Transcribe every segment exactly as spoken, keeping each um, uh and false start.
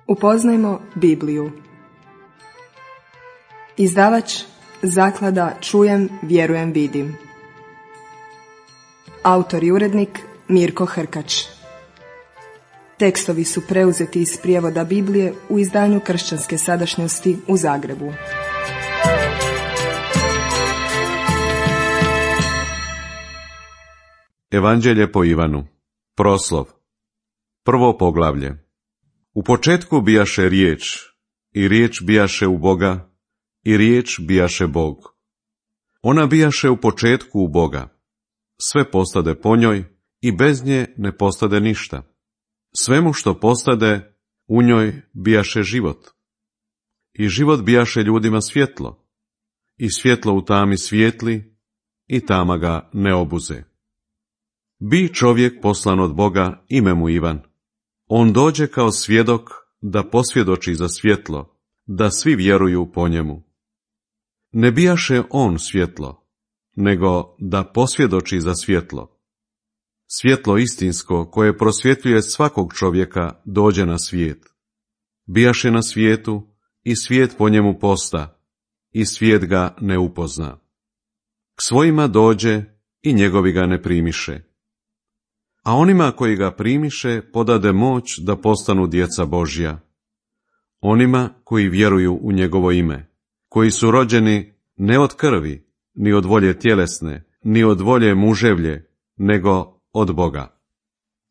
Upoznajmo Bibliju. Izdavač Zaklada Čujem, vjerujem, vidim. Autor i urednik Mirko Hrkač. Tekstovi su preuzeti iz prijevoda Biblije u izdanju Kršćanske sadašnjosti u Zagrebu. Evanđelje po Ivanu. Proslov. Prvo poglavlje. U početku bijaše riječ, i riječ bijaše u Boga, i riječ bijaše Bog. Ona bijaše u početku u Boga. Sve postade po njoj, i bez nje ne postade ništa. Svemu što postade, u njoj bijaše život. I život bijaše ljudima svjetlo. I svjetlo u tami svijetli, i tama ga ne obuze. Bi čovjek poslan od Boga, ime mu Ivan. On dođe kao svjedok da posvjedoči za svjetlo, da svi vjeruju po njemu. Ne bijaše on svjetlo, nego da posvjedoči za svjetlo. Svjetlo istinsko koje prosvjetljuje svakog čovjeka dođe na svijet. Bijaše na svijetu i svijet po njemu posta, i svijet ga ne upozna. K svojima dođe i njegovi ga ne primiše. A onima koji ga primiše podade moć da postanu djeca Božja. Onima koji vjeruju u njegovo ime, koji su rođeni ne od krvi, ni od volje tjelesne, ni od volje muževlje, nego od Boga.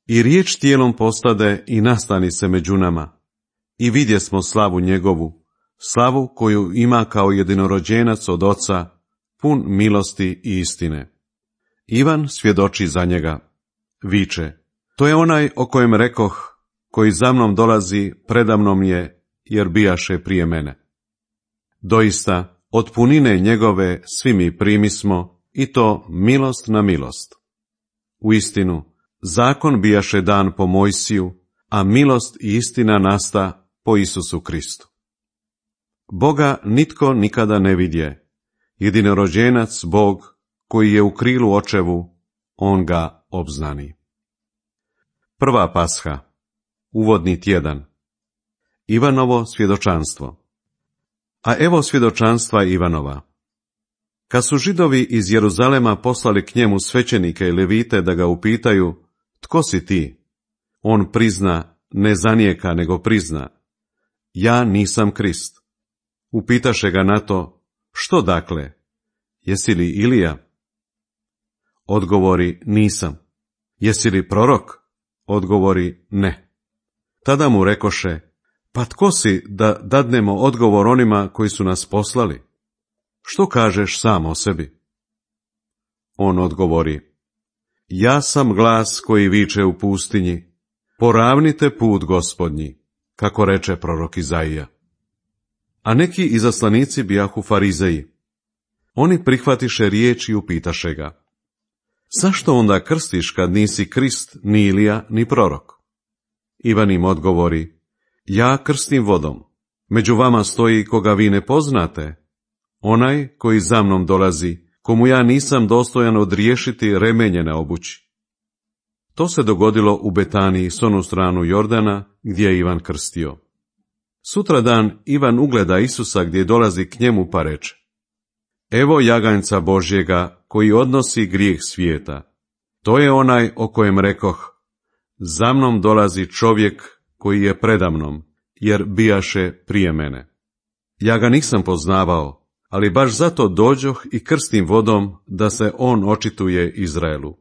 I riječ tijelom postade i nastani se među nama. I vidjesmo slavu njegovu, slavu koju ima kao jedinorođenac od Oca, pun milosti i istine. Ivan svjedoči za njega. Viče, to je onaj o kojem rekoh, koji za mnom dolazi, predamnom je, jer bijaše prije mene. Doista, od punine njegove svi mi primismo, i to milost na milost. Uistinu, zakon bijaše dan po Mojsiju, a milost i istina nasta po Isusu Kristu. Boga nitko nikada ne vidje, jedinorođenac Bog, koji je u krilu očevu, on ga obznani. Prva pasha. Uvodni tjedan. Ivanovo svjedočanstvo. A evo svjedočanstva Ivanova. Kad su Židovi iz Jeruzalema poslali k njemu svećenike i levite da ga upitaju, tko si ti? On prizna, ne zanijeka, nego prizna, ja nisam Krist. Upitaše ga na to, što dakle? Jesi li Ilija? Odgovori, nisam. Jesi li prorok? Odgovori, ne. Tada mu rekoše, pa tko si da dadnemo odgovor onima koji su nas poslali? Što kažeš sam o sebi? On odgovori, ja sam glas koji viče u pustinji, poravnite put Gospodnji, kako reče prorok Izaija. A neki izaslanici bijahu farizeji. Oni prihvatiše riječ i upitaše ga, zašto onda krstiš kad nisi Krist, ni Ilija, ni prorok? Ivan im odgovori, ja krstim vodom, među vama stoji koga vi ne poznate, onaj koji za mnom dolazi, komu ja nisam dostojan odriješiti remenje na obući. To se dogodilo u Betaniji s onu stranu Jordana, gdje je Ivan krstio. Sutradan Ivan ugleda Isusa gdje dolazi k njemu pa reče, evo jaganjca Božjega koji odnosi grijeh svijeta. To je onaj o kojem rekoh, za mnom dolazi čovjek koji je predamnom, jer bijaše prije mene. Ja ga nisam poznavao, ali baš zato dođoh i krstim vodom da se on očituje Izraelu.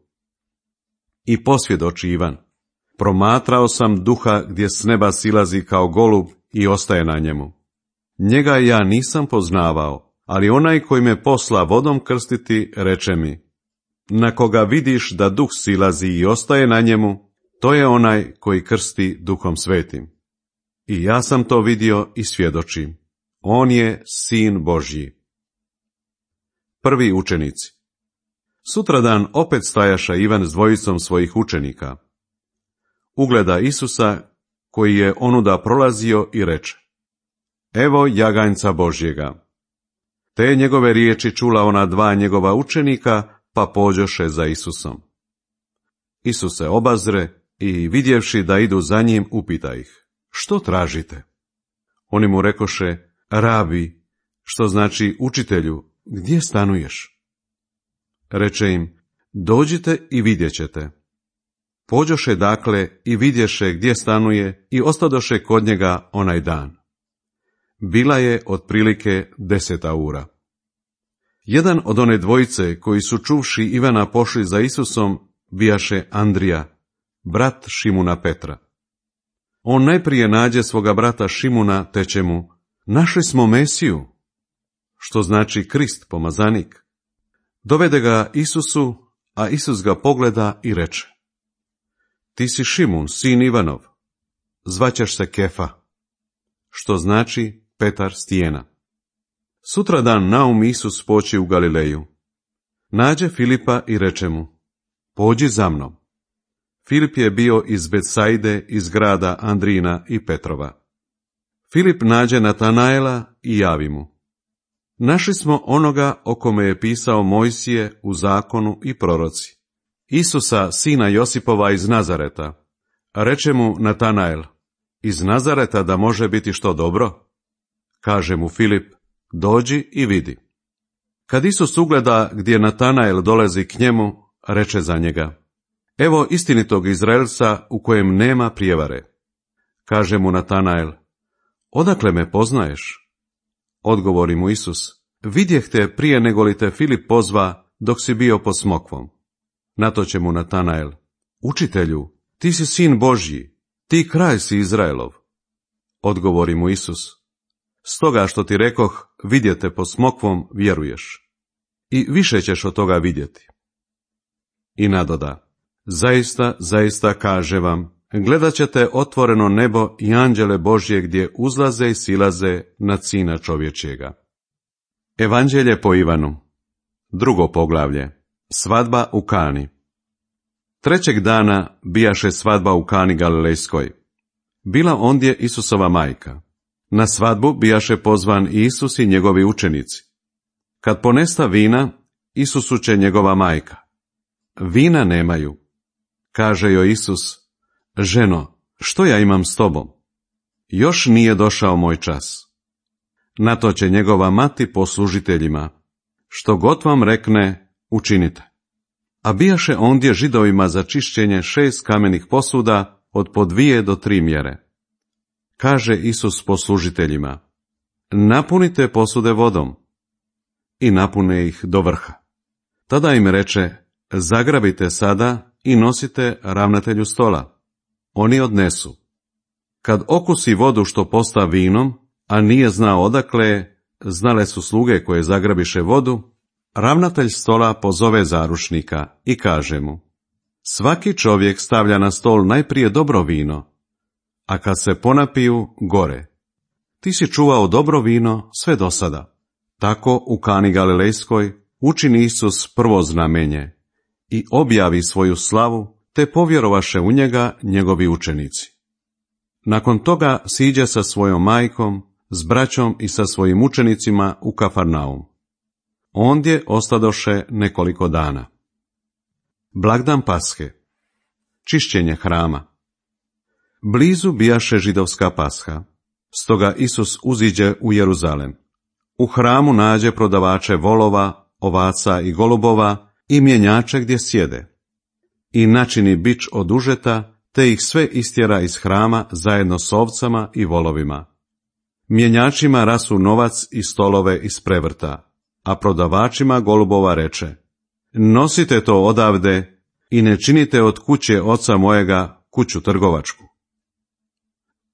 I posvjedoči Ivan, promatrao sam duha gdje s neba silazi kao golub i ostaje na njemu. Njega ja nisam poznavao, ali onaj koji me posla vodom krstiti, reče mi, na koga vidiš da duh silazi i ostaje na njemu, to je onaj koji krsti Duhom Svetim. I ja sam to vidio i svjedočim. On je Sin Božji. Prvi učenici. Sutradan opet stajaša Ivan s dvojicom svojih učenika. Ugleda Isusa, koji je onuda prolazio i reče, evo jaganjca Božjega. Te njegove riječi čula ona dva njegova učenika, pa pođoše za Isusom. Isus se obazre i vidjevši da idu za njim, upita ih, što tražite? Oni mu rekoše, rabi, što znači učitelju, gdje stanuješ? Reče im, dođite i vidjet ćete. Pođoše dakle i vidješe gdje stanuje i ostadoše kod njega onaj dan. Bila je otprilike deseta ura. Jedan od one dvojice koji su čuvši Ivana pošli za Isusom, bijaše Andrija, brat Šimuna Petra. On najprije nađe svoga brata Šimuna, teče mu, našli smo Mesiju, što znači Krist, pomazanik. Dovede ga Isusu, a Isus ga pogleda i reče, ti si Šimun, sin Ivanov, zvaćeš se Kefa, što znači Petar stijena. Sutradan naum Isus poći u Galileju. Nađe Filipa i reče mu, pođi za mnom. Filip je bio iz Betsajde, iz grada Andrina i Petrova. Filip nađe Natanaela i javi mu, našli smo onoga o kome je pisao Mojsije u zakonu i proroci, Isusa, sina Josipova iz Nazareta. Reče mu Natanael, iz Nazareta da može biti što dobro? Kaže mu Filip, dođi i vidi. Kad Isus ugleda gdje Natanael dolazi k njemu, reče za njega, evo istinitog Izraelca u kojem nema prijevare. Kaže mu Natanael, odakle me poznaješ? Odgovori mu Isus, vidjeh te prije nego li te Filip pozva dok si bio pod smokvom. Nato će mu Natanael, učitelju, ti si sin Božji, ti kralj si Izraelov. Odgovori mu Isus, stoga što ti rekoh, vidjete pod smokvom, vjeruješ. I više ćeš od toga vidjeti. I nadoda, zaista, zaista kaže vam, gledat ćete otvoreno nebo i anđele Božje gdje uzlaze i silaze nad Sina čovječjega. Evanđelje po Ivanu. Drugo poglavlje. Svadba u Kani. Trećeg dana bijaše svadba u Kani Galilejskoj. Bila ondje Isusova majka. Na svadbu bijaše pozvan Isus i njegovi učenici. Kad ponesta vina, Isusu će njegova majka. Vina nemaju. Kaže joj Isus, ženo, što ja imam s tobom? Još nije došao moj čas. Na to će njegova mati poslužiteljima, što god vam rekne, učinite. A bijaše ondje Židovima za čišćenje šest kamenih posuda od po dvije do tri mjere. Kaže Isus poslužiteljima, napunite posude vodom. I napune ih do vrha. Tada im reče, zagrabite sada i nosite ravnatelju stola. Oni odnesu. Kad okusi vodu što posta vinom, a nije znao odakle, znale su sluge koje zagrabiše vodu, ravnatelj stola pozove zarušnika i kaže mu, svaki čovjek stavlja na stol najprije dobro vino, a kad se ponapiju, gore. Ti si čuvao dobro vino sve do sada. Tako u Kani Galilejskoj učini Isus prvo znamenje i objavi svoju slavu, te povjerovaše u njega njegovi učenici. Nakon toga siđe sa svojom majkom, s braćom i sa svojim učenicima u Kafarnaum. Ondje ostadoše nekoliko dana. Blagdan Pashe. Čišćenje hrama. Blizu bijaše židovska Pasha, stoga Isus uziđe u Jeruzalem. U hramu nađe prodavače volova, ovaca i golubova i mjenjače gdje sjede. I načini bič od užeta, te ih sve istjera iz hrama zajedno s ovcama i volovima. Mjenjačima rasu novac i stolove iz prevrta, a prodavačima golubova reče, nosite to odavde i ne činite od kuće oca mojega kuću trgovačku.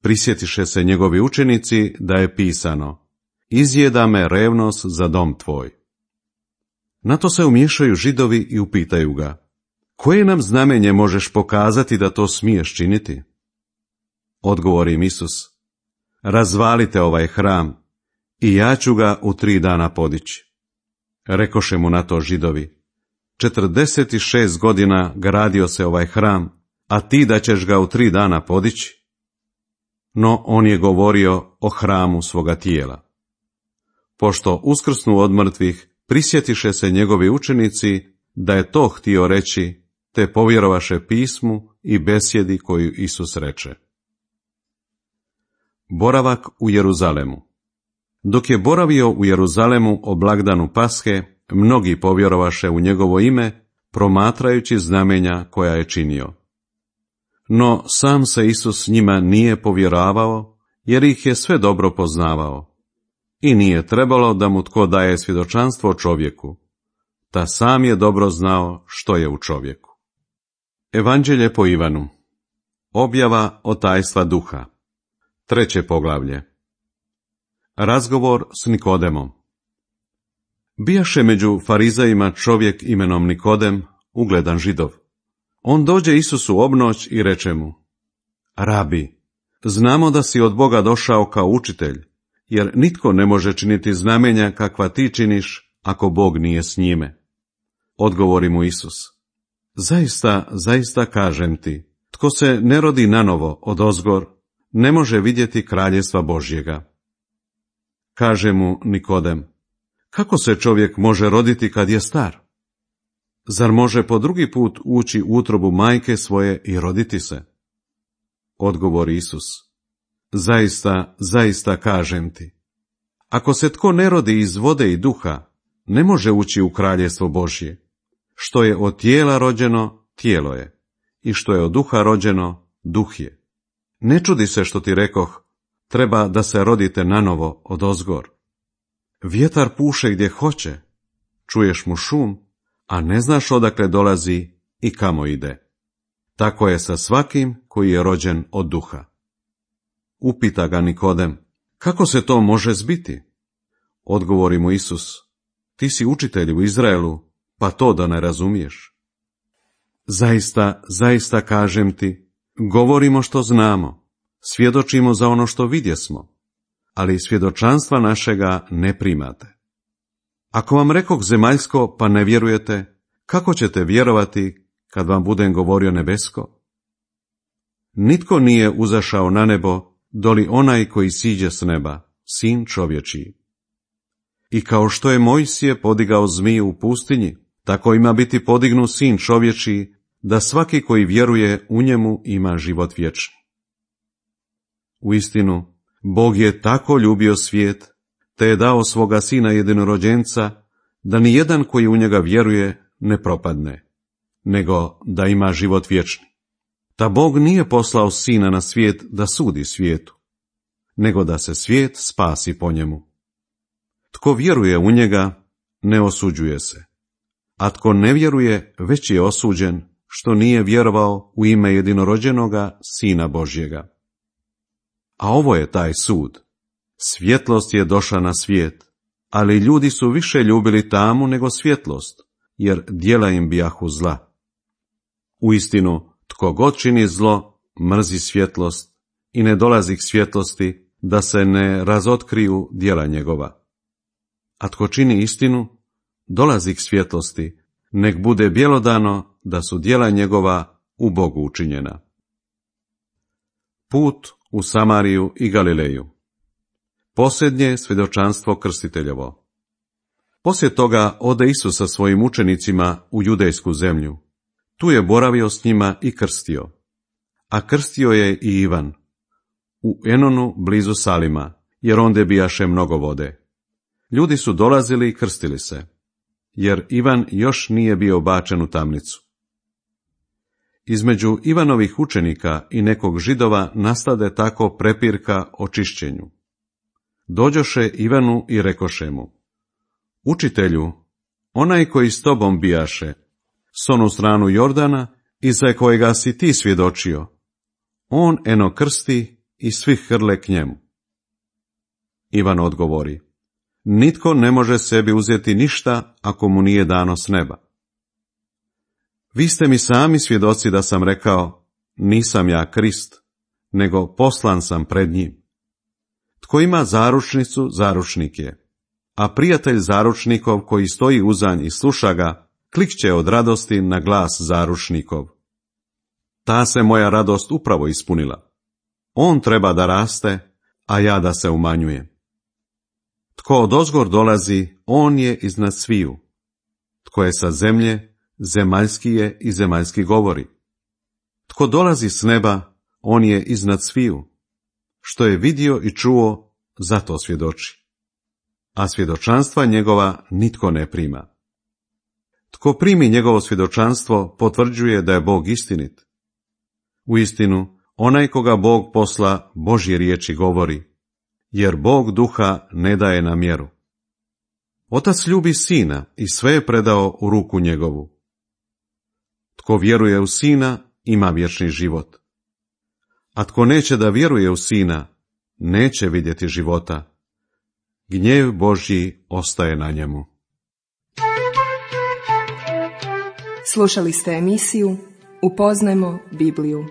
Prisjetiše se njegovi učenici da je pisano, izjeda me revnost za dom tvoj. Na to se umiješaju Židovi i upitaju ga, koje nam znamenje možeš pokazati da to smiješ činiti? Odgovori im Isus, razvalite ovaj hram i ja ću ga u tri dana podići. Rekoše mu na to Židovi, četrdeset šest godina gradio se ovaj hram, a ti da ćeš ga u tri dana podići? No on je govorio o hramu svoga tijela. Pošto uskrsnu od mrtvih, prisjetiše se njegovi učenici da je to htio reći, te povjerovaše pismu i besjedi koju Isus reče. Boravak u Jeruzalemu. Dok je boravio u Jeruzalemu o blagdanu Pashe, mnogi povjerovaše u njegovo ime, promatrajući znamenja koja je činio. No sam se Isus njima nije povjeravao, jer ih je sve dobro poznavao. I nije trebalo da mu tko daje svjedočanstvo o čovjeku, ta sam je dobro znao što je u čovjeku. Evanđelje po Ivanu. Objava o tajstva duha. Treće poglavlje. Razgovor s Nikodemom. Bijaše među farizejima čovjek imenom Nikodem, ugledan Židov. On dođe Isusu obnoć i reče mu: Rabi, znamo da si od Boga došao kao učitelj, jer nitko ne može činiti znamenja kakva ti činiš, ako Bog nije s njime. Odgovori mu Isus: Zaista, zaista kažem ti, tko se ne rodi nanovo odozgor, ne može vidjeti kraljevstva Božjega. Kaže mu Nikodem: Kako se čovjek može roditi kad je star? Zar može po drugi put ući u utrobu majke svoje i roditi se? Odgovori Isus: Zaista, zaista kažem ti, ako se tko ne rodi iz vode i duha, ne može ući u kraljevstvo Božje. Što je od tijela rođeno, tijelo je, i što je od duha rođeno, duh je. Ne čudi se što ti rekoh, treba da se rodite nanovo odozgor. Vjetar puše gdje hoće, čuješ mu šum, a ne znaš odakle dolazi i kamo ide. Tako je sa svakim koji je rođen od duha. Upita ga Nikodem: Kako se to može zbiti? Odgovori mu Isus: Ti si učitelj u Izraelu, pa to da ne razumiješ. Zaista, zaista kažem ti, govorimo što znamo, svjedočimo za ono što vidjesmo, ali svjedočanstva našega ne primate. Ako vam rekoh zemaljsko, pa ne vjerujete, kako ćete vjerovati kad vam budem govorio nebesko? Nitko nije uzašao na nebo, doli onaj koji siđe s neba, sin čovječiji. I kao što je Mojsije podigao zmiju u pustinji, tako ima biti podignu sin čovječiji, da svaki koji vjeruje u njemu ima život vječni. Uistinu, Bog je tako ljubio svijet, te je dao svoga sina jedinorođenca, da ni jedan koji u njega vjeruje ne propadne, nego da ima život vječni. Ta Bog nije poslao sina na svijet da sudi svijetu, nego da se svijet spasi po njemu. Tko vjeruje u njega, ne osuđuje se, a tko ne vjeruje, već je osuđen, što nije vjerovao u ime jedinorođenoga Sina Božjega. A ovo je taj sud. Svjetlost je došla na svijet, ali ljudi su više ljubili tamu nego svjetlost, jer djela im bijahu zla. Uistinu, tko god čini zlo, mrzi svjetlost i ne dolazi k svjetlosti, da se ne razotkriju djela njegova. A tko čini istinu, dolazi k svjetlosti, nek bude bjelodano da su djela njegova u Bogu učinjena. Put u Samariju i Galileju. Posljednje svjedočanstvo krstiteljevo. Poslije toga ode Isus sa svojim učenicima u judejsku zemlju. Tu je boravio s njima i krstio. A krstio je i Ivan, u Enonu blizu Salima, jer onde bijaše mnogo vode. Ljudi su dolazili i krstili se, jer Ivan još nije bio bačen u tamnicu. Između Ivanovih učenika i nekog Židova nastade tako prepirka o čišćenju. Dođoše Ivanu i rekoše mu: Učitelju, onaj koji s tobom bijaše, s onu stranu Jordana, i za kojega si ti svjedočio, on eno krsti i svi hrle k njemu. Ivan odgovori: Nitko ne može sebi uzeti ništa ako mu nije dano s neba. Vi ste mi sami svjedoci da sam rekao, nisam ja Krist, nego poslan sam pred njim. Tko ima zaručnicu, zaručnik je, a prijatelj zaručnikov koji stoji uzanj i sluša ga, klikće od radosti na glas zaručnikov. Ta se moja radost upravo ispunila. On treba da raste, a ja da se umanjujem. Tko odozgor dolazi, on je iznad sviju. Tko je sa zemlje, zemaljski je i zemaljski govori. Tko dolazi s neba, on je iznad sviju. što je vidio i čuo, zato svjedoči. A svjedočanstva njegova nitko ne prima. Tko primi njegovo svjedočanstvo, potvrđuje da je Bog istinit. Uistinu, onaj koga Bog posla, Božje riječi govori, jer Bog duha ne daje na mjeru. Otac ljubi sina i sve je predao u ruku njegovu. Tko vjeruje u sina, ima vječni život. A tko neće da vjeruje u sina, neće vidjeti života. Gnjev Božji ostaje na njemu. Slušali ste emisiju Upoznajmo Bibliju.